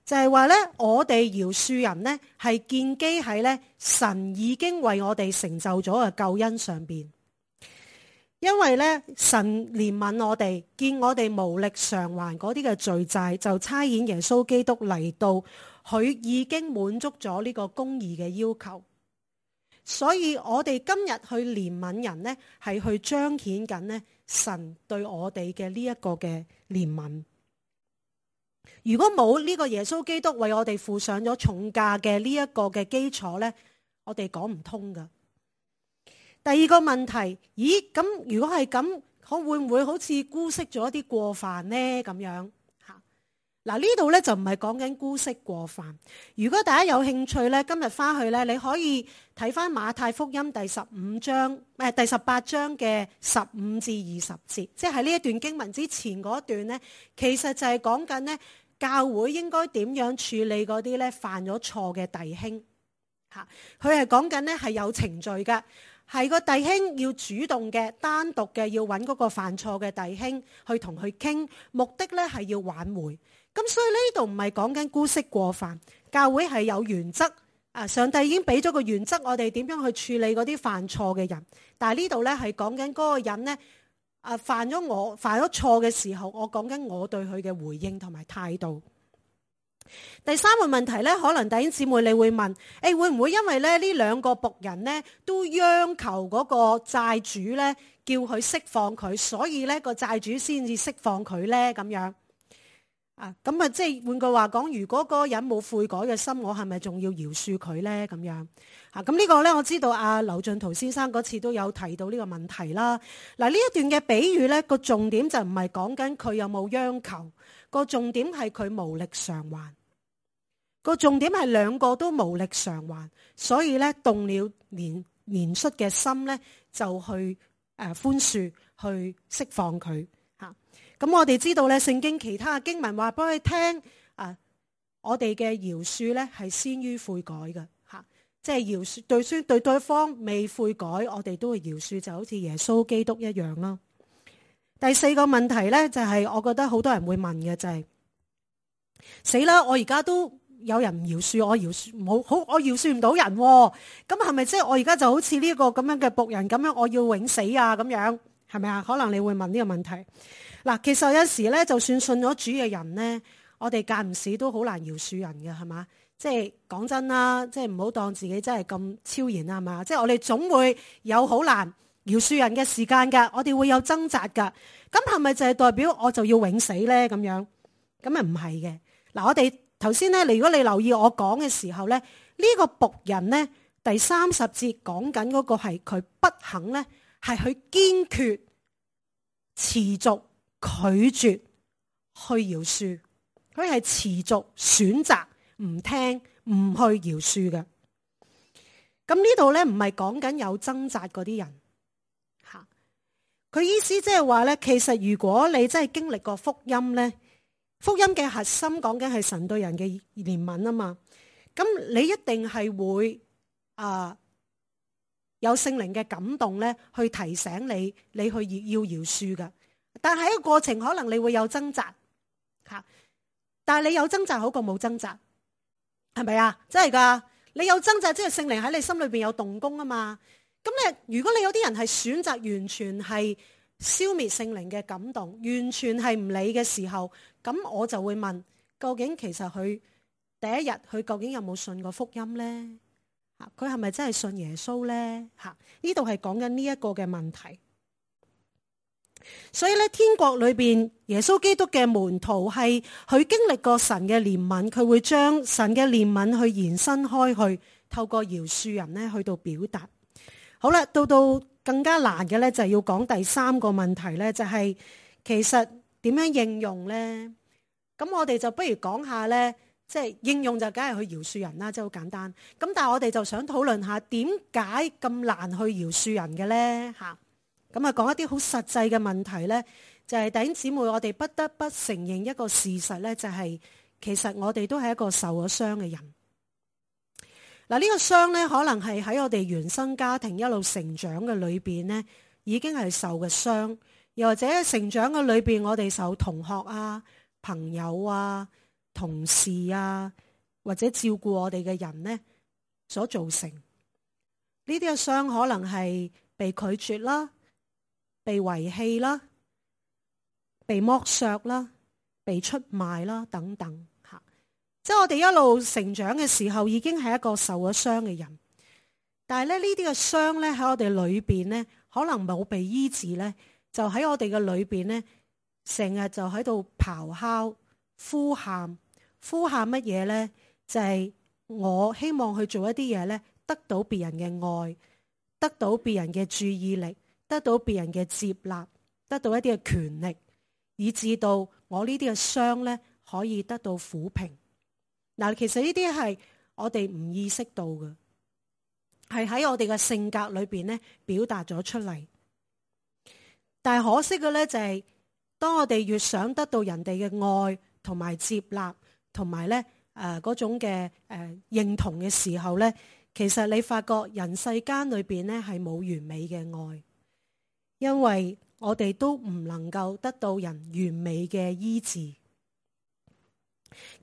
就係話呢，我哋饒恕人呢係建基喺呢神已經為我哋成就咗嘅救恩上邊。因為呢，神憐憫我哋，見我哋無力償還嗰啲嘅罪債，就差遣耶穌基督嚟到佢已經滿足咗呢個公義嘅要求。所以我哋今日去憐憫人呢，係去彰顯緊呢神對我哋嘅呢一個嘅憐憫。如果冇呢個耶穌基督為我哋付上咗重價嘅呢一個嘅基礎呢，我哋講唔通噶。第二個問題，咦，咁如果係咁，會唔會好似姑息咗一啲過犯呢？咁樣吓，嗱，呢度咧就唔係講緊姑息過犯。如果大家有興趣咧，今日翻去咧，你可以睇翻馬太福音第18章嘅15至20節，即係喺呢一段經文之前嗰段咧，其實就係講緊咧教會應該點樣處理嗰啲咧犯咗錯嘅弟兄吓。佢係講緊咧係有程序嘅。係個弟兄要主動嘅、單獨嘅，要揾嗰個犯錯嘅弟兄去同佢傾，目的咧係要挽回。咁所以呢度唔係講緊姑息過犯，教會係有原則。上帝已經俾咗個原則，我哋點樣去處理嗰啲犯錯嘅人。但係呢度咧係講緊嗰個人咧，犯咗錯嘅時候，我講緊我對佢嘅回應同埋態度。第三個問題咧，可能弟兄姊妹你會問，會唔會因為咧呢兩個僕人咧都央求嗰個債主咧叫佢釋放佢，所以咧個債主先至釋放佢咧咁樣咁啊，即係換句話講，如果嗰個人冇悔改嘅心，我係咪仲要饒恕佢咧？咁樣咁呢個咧，我知道阿劉進圖先生嗰次都有提到呢個問題啦。嗱，呢一段嘅比喻咧，個重點就唔係講緊佢有冇央求。個重點係佢無力償還，個重點係兩個都無力償還，所以咧動了憐恤嘅心咧，就去寬恕，去釋放佢吓。咁我哋知道咧，聖經其他嘅經文話俾佢聽我哋嘅饒恕咧係先於悔改嘅吓，即係饒恕對對方未悔改，我哋都會饒恕，就好似耶穌基督一樣啦。第四個問題咧，就係我覺得好多人會問嘅就係死啦！我而家都有人唔饒恕，我饒恕唔到人，咁係咪即係我而家就好似呢個咁樣嘅僕人咁樣，我要永死啊？咁樣係咪啊？可能你會問呢個問題。嗱，其實有時咧，就算信咗主嘅人咧，我哋間唔時都好難饒恕人嘅，係嘛？即係講真啦，即係唔好當自己真係咁超然啊，係嘛？即係我哋總會有好難饒恕人嘅時間噶，我哋會有掙扎噶，咁係咪就係代表我就要永死咧？咁樣咁啊唔係嘅。嗱，我哋頭先咧，如果你留意我講嘅時候咧，呢個僕人咧第30節講緊嗰個係佢不肯咧，係佢堅決持續拒絕去饒恕，佢係持續選擇唔聽唔去饒恕嘅。咁呢度咧唔係講緊有掙扎嗰啲人。佢意思即係話咧，其實如果你真係經歷過福音咧，福音嘅核心講緊係神對人嘅憐憫啊嘛，咁你一定係會有聖靈嘅感動咧，去提醒你去要饒恕噶。但係喺個過程可能你會有掙扎吓，但係你有掙扎好過冇掙扎，係咪啊？真係噶，你有掙扎即係聖靈喺你心裏邊有動工啊嘛。咁如果你有啲人係選擇完全係消滅聖靈嘅感動，完全係唔理嘅時候，咁我就會問，究竟其實佢第一日佢究竟有冇信過福音呢？佢係咪真係信耶穌呢？呢度係講緊呢一個嘅問題。所以咧，天國裏邊耶穌基督嘅門徒係佢經歷過神嘅憐憫，佢會將神嘅憐憫去延伸開去，透過饒恕人咧去到表達。好啦，到更加難嘅咧，就係要講第三個問題咧，就係其實點樣應用咧？咁我哋就不如講下咧，即係應用就梗係去饒恕人啦，即係好簡單。咁但係我哋就想討論下點解咁難去饒恕人嘅咧？吓，咁啊講一啲好實際嘅問題咧，就係弟兄姊妹，我哋不得不承認一個事實咧，就係其實我哋都係一個受咗傷嘅人。嗱，呢個傷咧，可能係喺我哋原生家庭一路成長嘅裏邊咧，已經係受嘅傷，又或者成長嘅裏邊，我哋受同學啊、朋友啊、同事啊，或者照顧我哋嘅人咧所造成。呢啲嘅傷可能係被拒絕啦、被遺棄啦、被剝削啦、被出賣啦等等吓。即係我哋一路成長嘅時候，已經係一個受咗傷嘅人。但係咧，呢啲嘅傷咧喺我哋裏邊咧，可能冇被醫治咧，就喺我哋嘅裏邊咧，成日就喺度咆哮、呼喊乜嘢咧？就係我希望去做一啲嘢咧，得到別人嘅愛，得到別人嘅注意力，得到別人嘅接納，得到一啲嘅權力，以至到我呢啲嘅傷咧可以得到撫平。嗱，其實呢啲係我哋唔意識到嘅。係喺我哋嘅性格裏邊咧表達咗出嚟，但係可惜嘅咧就係，當我哋越想得到人哋嘅愛同埋接納，同埋咧嗰種嘅認同嘅時候咧，其實你發覺人世間裏邊咧係冇完美嘅愛，因為我哋都唔能夠得到人完美嘅醫治。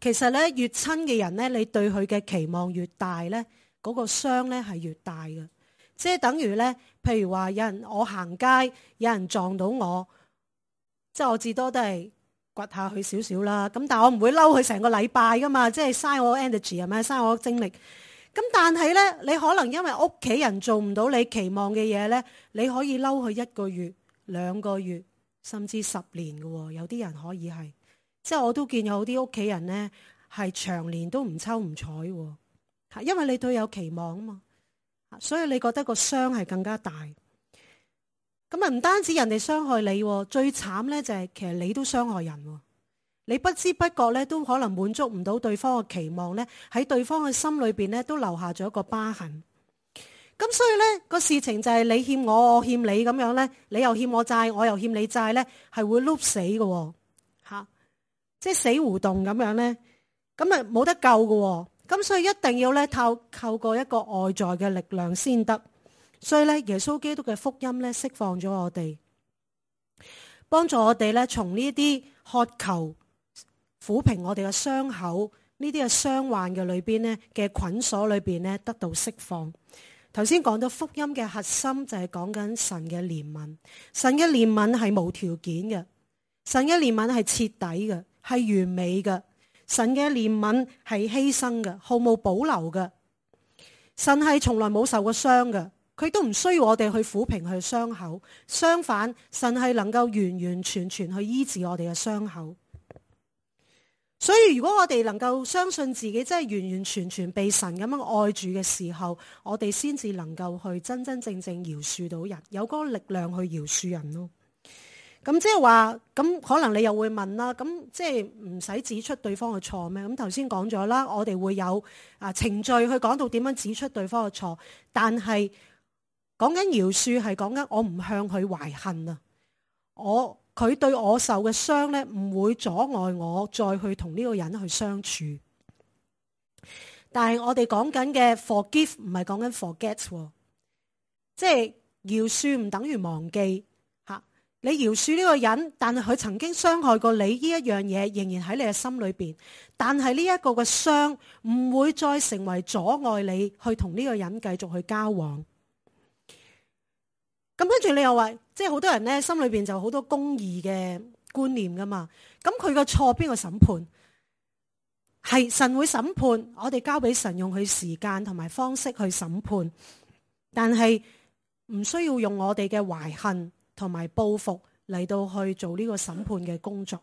其實咧越親嘅人咧，你對佢嘅期望越大咧，嗰個傷咧係越大嘅，即係等於咧，譬如話有人我行街，有人撞到我，即係我至多都係掘下佢少少啦。咁但係我唔會嬲佢成個禮拜噶嘛，即係嘥我 energy 係咪？嘥我精力。咁但係咧，你可能因為屋企人做唔到你期望嘅嘢咧，你可以嬲佢1個月、2個月，甚至10年嘅喎。有啲人可以係，即係我都見有啲屋企人咧係長年都唔抽唔睬喎。因為你對有期望啊嘛，所以你覺得個傷係更加大。咁啊，唔單止人哋傷害你，最慘咧就係其實你都傷害人。你不知不覺咧都可能滿足唔到對方嘅期望咧，喺對方嘅心裏邊咧都留下咗一個疤痕。咁所以咧個事情就係你欠我，我欠你咁樣咧，你又欠我債，我又欠你債咧，係會碌死嘅吓，即係死胡同咁樣咧，咁啊冇得救嘅。咁所以一定要咧透過一個外在嘅力量先得。所以咧耶穌基督嘅福音咧釋放咗我哋，幫助我哋咧從呢啲渴求撫平我哋嘅傷口，呢啲嘅傷患嘅裏邊咧嘅捆鎖裏邊咧得到釋放。頭先講到福音嘅核心就係講緊神嘅憐憫，神嘅憐憫係無條件嘅，神嘅憐憫係徹底嘅，係完美嘅。神嘅憐憫係犧牲嘅，毫無保留嘅。神係從來冇受過傷嘅，佢都唔需要我哋去撫平佢嘅傷口。相反，神係能夠完完全全去醫治我哋嘅傷口。所以如果我哋能夠相信自己真係完完全全被神咁樣愛住嘅時候，我哋先至能夠去真真正正饒恕到人，有嗰個力量去饒恕人咯。咁即係話，咁可能你又會問啦，咁即係唔使指出對方嘅錯咩？咁頭先講咗啦，我哋會有程序去講到點樣指出對方嘅錯，但係講緊饒恕係講緊我唔向佢懷恨啊，佢對我受嘅傷咧唔會阻礙我再去同呢個人去相處。但係我哋講緊嘅 forgive 唔係講緊 forget， 即係饒恕唔等於忘記。你饒恕呢個人，但係佢曾經傷害過你呢一樣嘢，仍然喺你嘅心裏邊。但係呢一個嘅傷唔會再成為阻礙你去同呢個人繼續去交往。咁跟住你又話，即係好多人咧心裏邊就好多公義嘅觀念噶嘛。咁佢個錯邊個審判？係神會審判，我哋交俾神用佢時間同埋方式去審判，但係唔需要用我哋嘅懷恨同埋報復嚟到去做呢個審判嘅工作。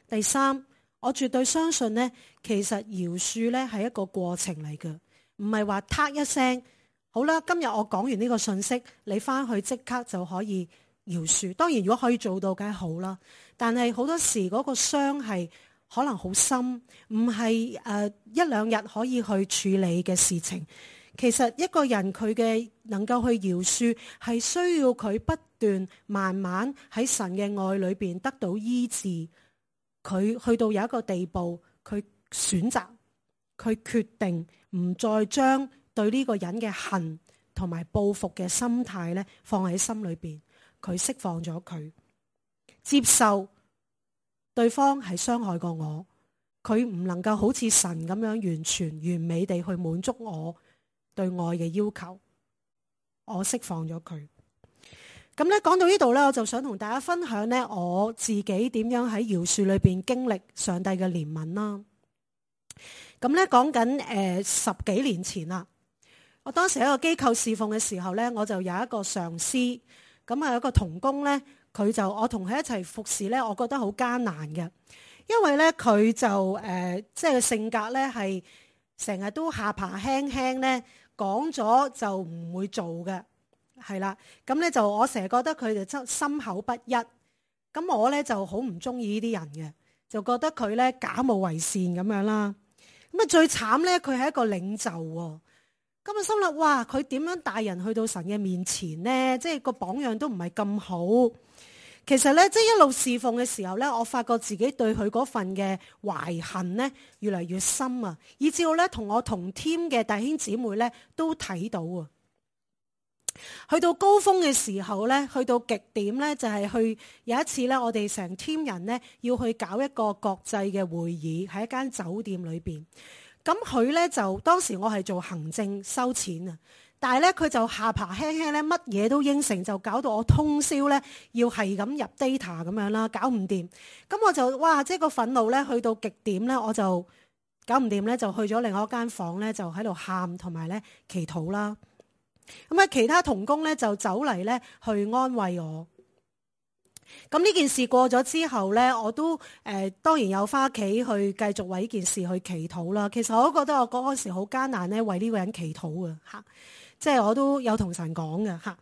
第三，我絕對相信呢，其實饒恕呢係一個過程嚟嘅，唔係話嗒一聲，好啦，今日我講完呢個信息，你翻去即刻就可以饒恕。當然，如果可以做到，梗係好啦。但係好多時嗰個傷係可能好深，唔係一兩日可以去處理嘅事情。其實一個人佢嘅能夠去饒恕，係需要佢不斷慢慢喺神嘅愛裏邊得到醫治。佢去到有一個地步，佢選擇，佢決定唔再將對呢個人嘅恨同埋報復嘅心態咧放喺心裏邊。佢釋放咗佢，接受對方係傷害過我，佢唔能夠好似神咁樣完全完美地去滿足我對愛嘅要求，我釋放咗佢。咁咧講到呢度咧，我就想同大家分享咧我自己點樣喺饒恕裏邊經歷上帝嘅憐憫啦。咁咧講緊10幾年前啦，我當時喺個機構侍奉嘅時候咧，我就有一個上司，咁啊有一個同工咧，我同佢一齊服侍咧，我覺得好艱難嘅，因為咧佢就即係性格咧係成日都下巴輕輕咧，講咗就唔會做嘅，係啦，咁咧就我成日覺得佢哋心口不一，咁我咧就好唔中意呢啲人嘅，就覺得佢咧假冒為善咁樣啦。咁啊最慘咧，佢係一個領袖喎。咁啊心諗，哇！佢點樣帶人去到神嘅面前呢？即係個榜樣都唔係咁好。其實咧，即係一路侍奉嘅時候咧，我發覺自己對佢嗰份嘅懷恨咧越嚟越深啊，以至到咧同我同 team 嘅弟兄姊妹咧都睇到啊。去到高峰嘅時候咧，去到極點咧，就係去有一次咧，我哋成 team 人咧要去搞一個國際嘅會議喺一間酒店裏邊。咁佢咧就當時我係做行政收錢啊，但係咧佢就下巴輕輕咧，乜嘢都應承，就搞到我通宵咧要係咁入 data 咁樣啦，搞唔掂。咁我就哇，即係個憤怒咧去到極點咧，我就搞唔掂咧，就去咗另外一間房咧，就喺度喊同埋咧祈禱啦。咁啊，其他同工咧就走嚟咧去安慰我。咁呢件事過咗之後咧，我都當然有返屋企去繼續為呢件事去祈禱啦。其實我都覺得我嗰時好艱難咧，為呢個人祈禱嘅嚇，即係我都有同神講嘅嚇。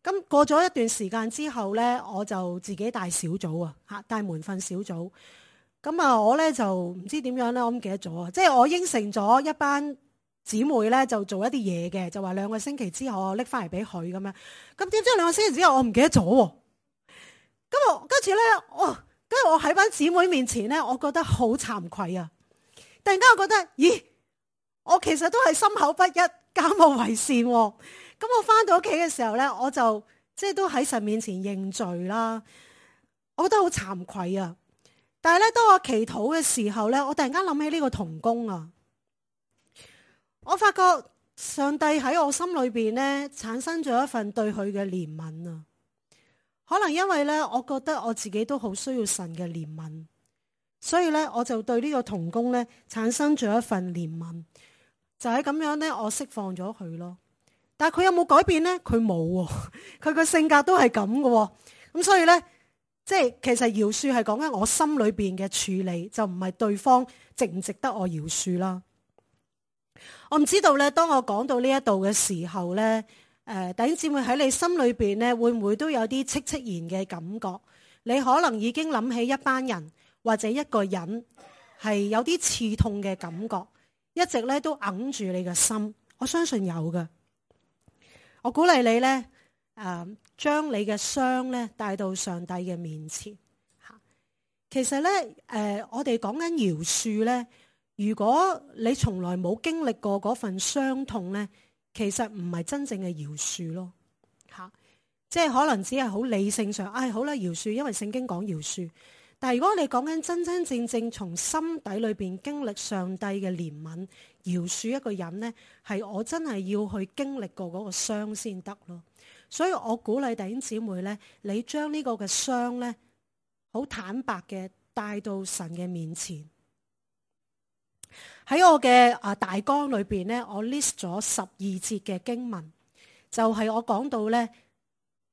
咁過咗一段時間之後咧，我就自己帶小組啊嚇，帶門訓小組。咁啊，我咧就唔知點樣咧，我唔記得咗啊。即係我應承咗一班姊妹咧，就做一啲嘢嘅，就話2個星期之後我拎翻嚟俾佢咁樣。咁點知2個星期之後我唔記得咗喎。咁跟住咧，跟住我喺班姊妹面前咧，我覺得好慚愧啊！突然間我覺得，咦，我其實都係心口不一，假冒為善喎。咁我翻到屋企嘅時候咧，我就即係都喺神面前認罪啦。我覺得好慚愧啊！但係咧，當我祈禱嘅時候咧，我突然間諗起呢個同工啊，我發覺上帝喺我心裏邊咧產生咗一份對佢嘅憐憫啊。可能因為咧，我覺得我自己都好需要神嘅憐憫，所以咧我就對呢個同工咧產生咗一份憐憫，就係咁樣咧，我釋放咗佢咯。但係佢有冇改變咧？佢冇喎，佢個性格都係咁嘅。咁所以咧，即係其實饒恕係講緊我心裏邊嘅處理，就唔係對方值唔值得我饒恕啦。我唔知道咧，當我講到呢一度嘅時候咧。弟兄姊妹喺你心裏邊咧，會唔會都有啲戚戚然嘅感覺？你可能已經諗起一班人或者一個人係有啲刺痛嘅感覺，一直咧都揞住你嘅心。我相信有嘅。我鼓勵你咧，將你嘅傷咧帶到上帝嘅面前。其實咧，我哋講緊饒恕咧，如果你從來冇經歷過嗰份傷痛咧，其實唔係真正嘅饒恕咯，即係可能只係好理性上，好啦，饒恕，因為聖經講饒恕。但係如果你講緊真真正正從心底裏邊經歷上帝嘅憐憫，饒恕一個人呢，係我真係要去經歷過嗰個傷先得咯。所以我鼓勵弟兄姊妹呢，你將呢個嘅傷呢，好坦白嘅帶到神嘅面前。喺我嘅大綱裏邊咧，我 list 咗12節嘅經文，就係我講到咧，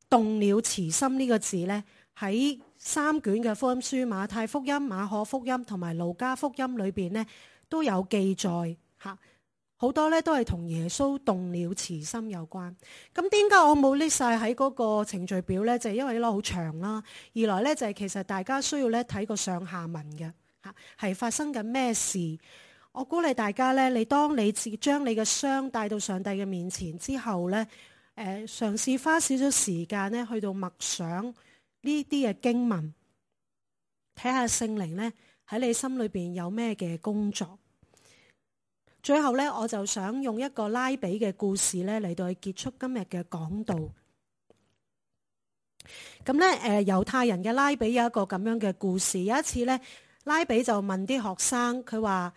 動了慈心呢個字咧，喺3卷嘅福音書，馬太福音、馬可福音同埋路加福音裏邊咧都有記載吓，好多咧都係同耶穌動了慈心有關。咁點解我冇 list 晒喺嗰個程序表咧？就係因為咧好長啦，二來咧就係其實大家需要咧睇個上下文嘅吓，係發生緊咩事。我鼓勵大家咧，你當你將你嘅傷帶到上帝嘅面前之後咧，嘗試花少少時間咧，去到默想呢啲嘅經文，睇下聖靈咧喺你心裏邊有咩嘅工作。最後咧，我就想用一個拉比嘅故事咧嚟到去結束今日嘅講道。咁咧，猶太人嘅拉比有一個咁樣嘅故事。有一次咧，拉比就問啲學生，佢話：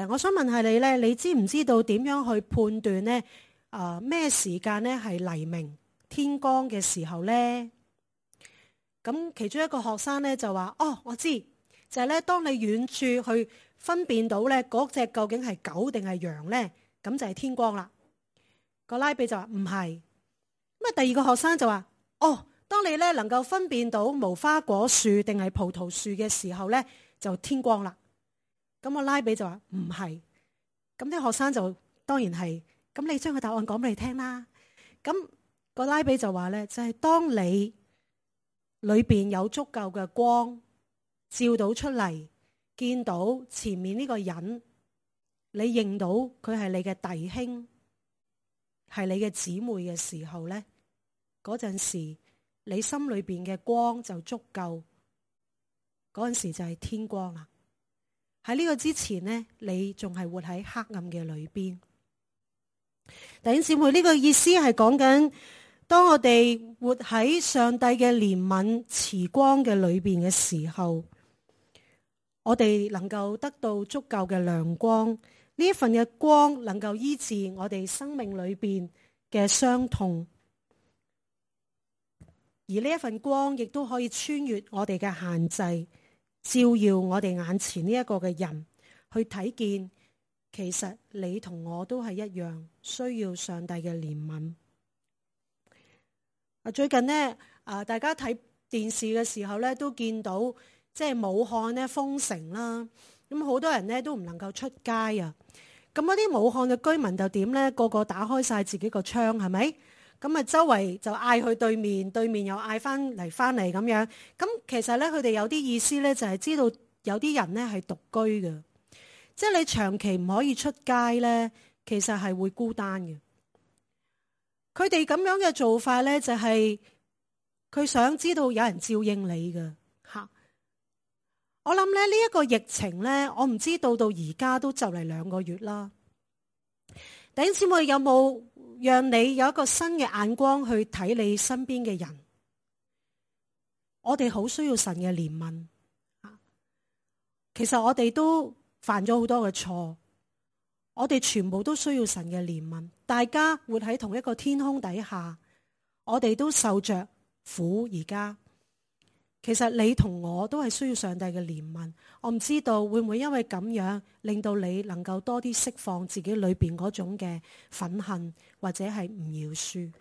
我想問下你咧，你知唔知道點樣去判斷咧？咩時間咧係黎明天光嘅時候咧？咁其中一個學生咧就話：我知，就係咧，當你遠處去分辨到咧嗰隻究竟係狗定係羊咧，咁就係天光啦。個拉比就話唔係。咁啊，第二個學生就話：哦，當你咧能夠分辨到無花果樹定係葡萄樹嘅時候咧，就天光啦。咁個拉比就話唔係。咁啲學生就當然係。咁你將個答案講俾你聽啦。咁個拉比就話咧，就係當你裏邊有足夠嘅光照到出嚟，見到前面呢個人，你認到佢係你嘅弟兄，係你嘅姊妹嘅時候咧，嗰陣時你心裏邊嘅光就足夠，嗰陣時就係天光啦。喺呢個之前呢，你仲係活喺黑暗嘅裏邊。弟兄姊妹，呢個意思係講緊，當我哋活喺上帝嘅憐憫慈光嘅裏邊嘅時候，我哋能夠得到足夠嘅亮光。呢一份嘅光能夠醫治我哋生命裏邊嘅傷痛，而呢一份光亦都可以穿越我哋嘅限制，照耀我哋眼前呢一個嘅人，去睇見其實你同我都係一樣需要上帝嘅憐憫。最近呢，大家睇電視嘅時候咧，都見到即係武漢咧封城啦，咁好多人咧都唔能夠出街啊。咁嗰啲武漢嘅居民就點咧？個個打開晒自己個窗，係咪？咁啊，周圍就嗌去對面，對面又嗌翻嚟咁樣。咁其實咧，佢哋有啲意思咧，就係知道有啲人咧係獨居嘅。即係你長期唔可以出街咧，其實係會孤單嘅。佢哋咁樣嘅做法咧，就係佢想知道有人照應你嘅吓。我諗咧呢一個疫情咧，我唔知到而家都就嚟2個月啦。弟兄姊妹，有冇讓你有一個新嘅眼光去睇你身邊嘅人？我哋好需要神嘅憐憫。其實我哋都犯咗好多嘅錯，我哋全部都需要神嘅憐憫。大家活喺同一個天空底下，我哋都受着苦。而家其實你同我都係需要上帝嘅憐憫。我唔知道會唔會因為咁樣令到你能夠多啲釋放自己裏邊嗰種嘅憤恨或者係唔饒恕。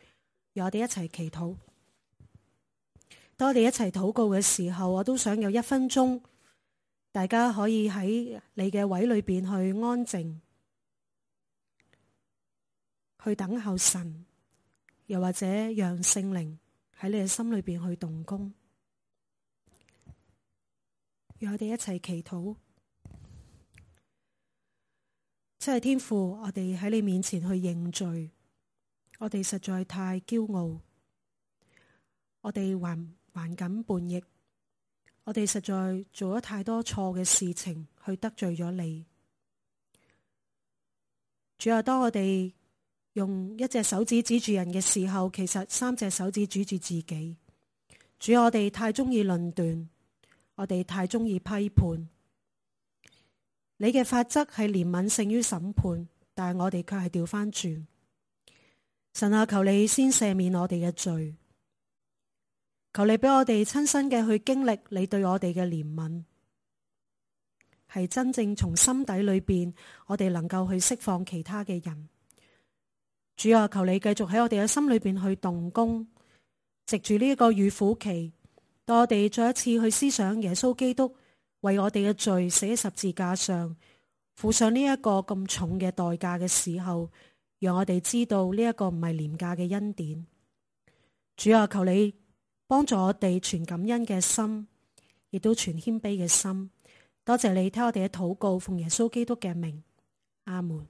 讓我哋一齊祈禱。當我哋一齊禱告嘅時候，我都想有1分鐘，大家可以喺你嘅位裏邊去安靜，去等候神，又或者讓聖靈喺你嘅心裏邊去動工。讓我哋一齊祈禱。真係天父，我哋喺你面前去認罪，我哋實在太驕傲，我哋還敢叛逆，我哋實在做咗太多錯嘅事情去得罪咗你。主要當我哋用1隻手指指住人嘅時候，其實3隻手指指住自己。主要我哋太中意論斷，我哋太中意批判。你嘅法則係憐憫勝於審判，但係我哋卻係調翻轉。神啊，求你先赦免我哋嘅罪，求你俾我哋親身嘅去經歷你對我哋嘅憐憫，係真正從心底裏邊，我哋能夠去釋放其他嘅人。主啊，求你繼續喺我哋嘅心裏邊去動工，藉住呢一個預苦期，當我哋再一次去思想耶穌基督為我哋嘅罪死喺十字架上，付上呢一個咁重嘅代價嘅時候，讓我哋知道呢一個唔係廉價嘅恩典。主啊，求你幫助我哋存感恩嘅心，亦都存謙卑嘅心。多謝你聽我哋嘅禱告，奉耶穌基督嘅名，阿門。